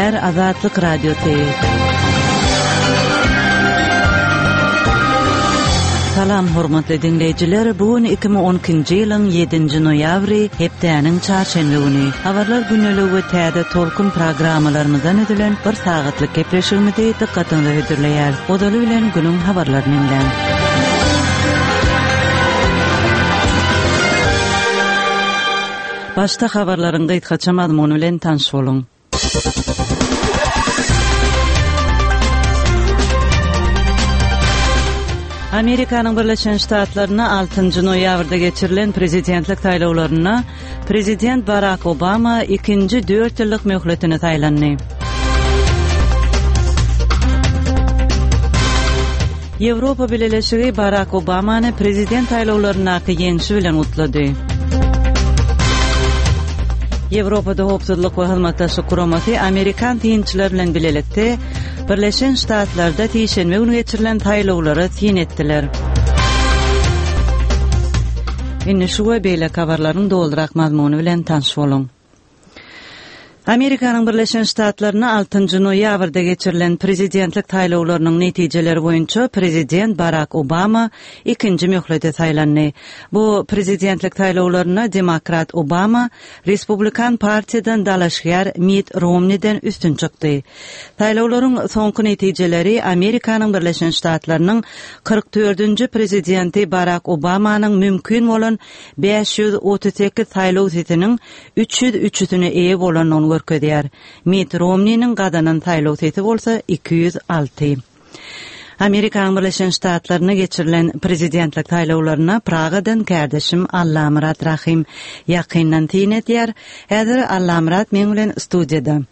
Gepleýär Azatlyk Radiosy. Salam hormatly diňleýjiler, bu gün 2012-nji ýylyň 7-nji noýabry, hepdäniň çarşenbe güni. Habarlar gündeligi we täze tolkun programmalarymyzdan düzülen bir sagatlyk gepleşigimizi dykgatyňyza hödürleýäris. Ozaly bilen günüň habarlaryny diňläň. Başda habarlaryň gysgaça mazmuny bilen tanyş boluň. Amerikanyň Birleşen Ştatlarynda altynjy noýabrda geçirilen prezidentlik saýlawlarynda prezident Barak Obama ikinji dört ýyllyk möhletine saýlandy. Ýewropa Bileleşigi Barak Obamany prezident saýlawlaryndaky ýeňşi bilen gutlady. Ýewropada Howpsuzlyk we Hyzmatdaşlyk Guramasy amerikan synçylary bilen bilelikde Birleşen Ştatlarda sişenbe güni geçirilen saýlawlara syn etdiler. Indi şu we beýleki habarlaryň dolurak mazmuny bilen tanyş boluň. Amerikanyň Birleşen Ştatlarynda altynjy noýabrda geçirilen prezidentlik saýlawlarynyň netijeleri boýunça prezident Barak Obama ikinji möhlete saýlandy. Bu prezidentlik saýlawlarynda demokrat Obama Respublikan partiýadan dalaşgär Mitt Romniden üstün çykdy. Saýlawlaryň soňky netijeleri Amerikanyň Birleşen Ştatlarynyň 44-nji prezidenti Barak Obamanyň mümkin bolan 538 saýlaw sesiniň 303-üsine eýe bolandygyny görkezýär. Mitt Romniniň gazanan saýlaw sesi bolsa 206. Amerikanyň Birleşen Ştatlarynda geçirilen prezidentlik saýlawlaryna Pragadan kärdeşim Allamyrat Rahym ýakyndan syn edýär. Häzir Allamyrat meň bilen studiýada.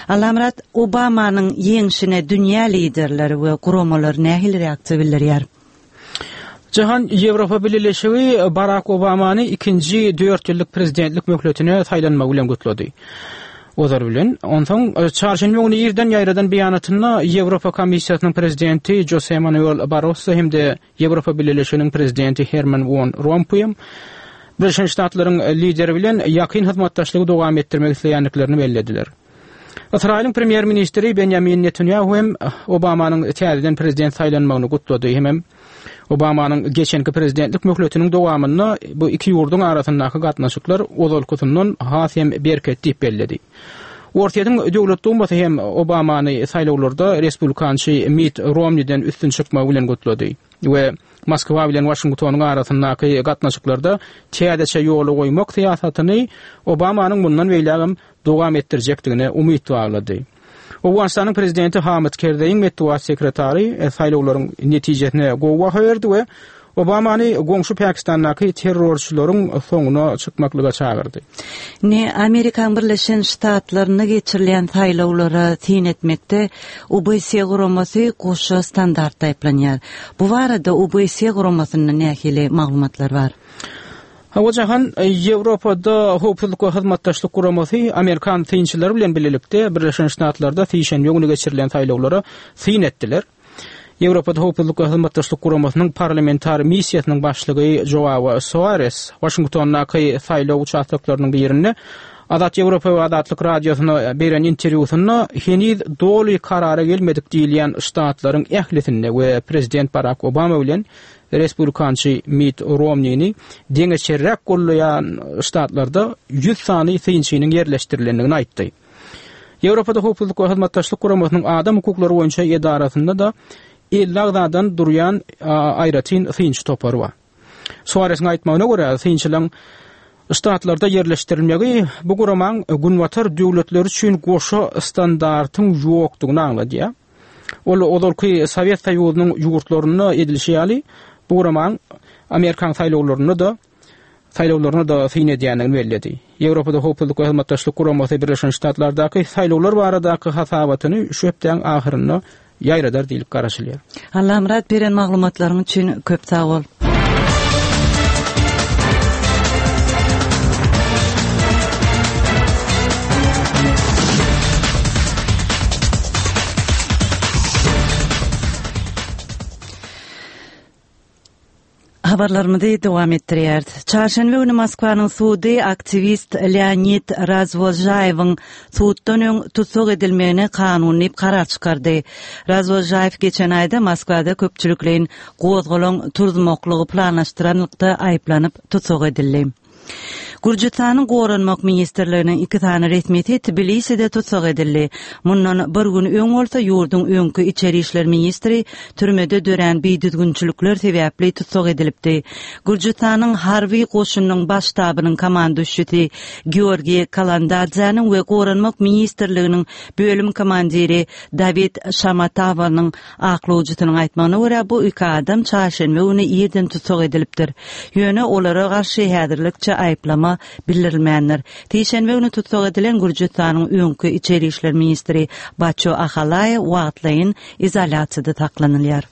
Allamyrat, Obamanyň ýeňşine dünýä liderleri we guramalary nähili reaksiýa bildirýär? Jahan Ýewropa Bileleşigi Barak Obamany ikinji dört ýyllyk prezidentlik möhletine saýlanmagy bilen gutlady. Ozal bilen, onsoň çarşenbe güni irden ýaýradan beýanatynda Ýewropa Komissiýasynyň prezidenti Jose Manuel Barroso hem-de Ýewropa Bileleşiginiň prezidenti Herman Won Rompuý Birleşen Ştatlaryň lideri bilen ýakyn hyzmatdaşlygy dowam etdirmek isleýändiklerini bellediler. Ysraýylyň premýer-ministri Benýamin Netanýahu hem Obamanyň täzeden prezident saýlanmagyny gutlady hemem Obamanyň geçenki prezidentlik möhletiniň dowamynda bu iki ýurduň arasyndaky gatnaşyklar ozalkysyndan has hem berkedi diýip belledi. Orsýetiň Döwlet Dumasy hem Obamany saýlawlarda respublikançy Mitt Romniden üstün çykmagy bilen gutlady we Moskwa bilen Waşingtonyň arasyndaky gatnaşyklarda täzeçe ýola goýmak syýasatyny Obamanyň mundan beýlägem dowam etdirjekdigine umyt baglady. Owganystanyň prezidenti Hamid Kerzeýiň metbugat sekretary saýlawlaryň netijesine gowy baha berdi we Obamany goňşy Pakistandaky terrorçylaryň soňuna çykmaklyga çagyrdy. Indi Amerikanyň Birleşen Ştatlarynda geçirilýän saýlawlara syn etmekde OBSE guramasy goşa standartda aýyplanýar. Bu barada OBSE guramasynda nähili maglumatlar bar? Hawa Jahan, Ýewropada Howpsuzlyk we Hyzmatdaşlyk Guramasy amerikan synçylary bilen bilelikde Birleşen Ştatlarda sişenbe güni geçirilen saýlawlara syn etdiler. Ýewropada Howpsuzlyk we Hyzmatdaşlyk Guramasynyň parlamentar missiýasynyň başlygy Joao Soares Waşingtondaky saýlaw uçastoklarynyň birinde Azat Ýewropa we Azatlyk Radiosyna beren interwýusynda heniz doly karara gelmedik diýilýän ştatlaryň ählisinde we prezident Barak Obama bilen Respublikançy Mitt Romnini deňeçerräk gollaýan ştatlarda 100 sany synçynyň ýerleşdirilendigini aýtdy. Ýewropada Howpsuzlyk we Hyzmatdaşlyk Guramasynyň adam hukuklary boýunça edarasynda-da 50 agzadan durýan aýratyn synçy topary bar. Suaresiň aýtmagyna görä, synçylaryň ştatlarda ýerleşdirilmegi bu guramaň Günbatar döwletleri üçin goşa standartyň ýokdugyny aňladýar. Ol ozalky Sowet Soýuzynyň ýurtlarynda edilişi ýaly, bu guramaň Amerikan saýlawlarynda-da saýlawlaryna-da syn edýändigini belledi. Ýewropada Howpsuzlyk we Hyzmatdaşlyk Guramasy Birleşen Ştatlardaky saýlawlar baradaky hasabatyny şu hepdäň ahyrynda ýaýradar diýlip garaşylýar. Allamyrat beren maglumatlaryň üçin köp sag bol. Habarlarymyzy dowam etdirýäris. Çarşenbe güni Moskwanyň sudy aktiwist Leonid Razwozžaýewiň suddan öň tussag edilmegine kanuny diýip karar çykardy. Razwozžaýew geçen aýda Moskwada köpçülikleýin gozgalaň turzmaklygy planlaşdyranlykda aýyplanyp tussag edildi. Gürjüstanyň Goranmak ministrliginiň iki sany resmisi Tbiliside tussag edildi. Mundan bir gün öň bolsa ýurduň öňki içeri işler ministri türmede dörän bidüzgünçilikler sebäpli tussag edilipdi. Gürjüstanyň harby goşunynyň baş ştabynyň komanduşçysy Georgiý Kalandadzäniň we Goranmak ministrliginiň bölüm komandiri Dawid Şamatawanyň Aklawjysynyň aýtmagyna görä, bu iki adam çarşenbe güni irden tussag edilipdir. Ýöne olara garşy häzirlikçe aýyplama bildirilmändir. Sişenbe güni tussag edilen Gürjüstanyň öňki içeri işler ministri Baço Ahalaýew wagtlaýyn izolýasiýada saklanylýar.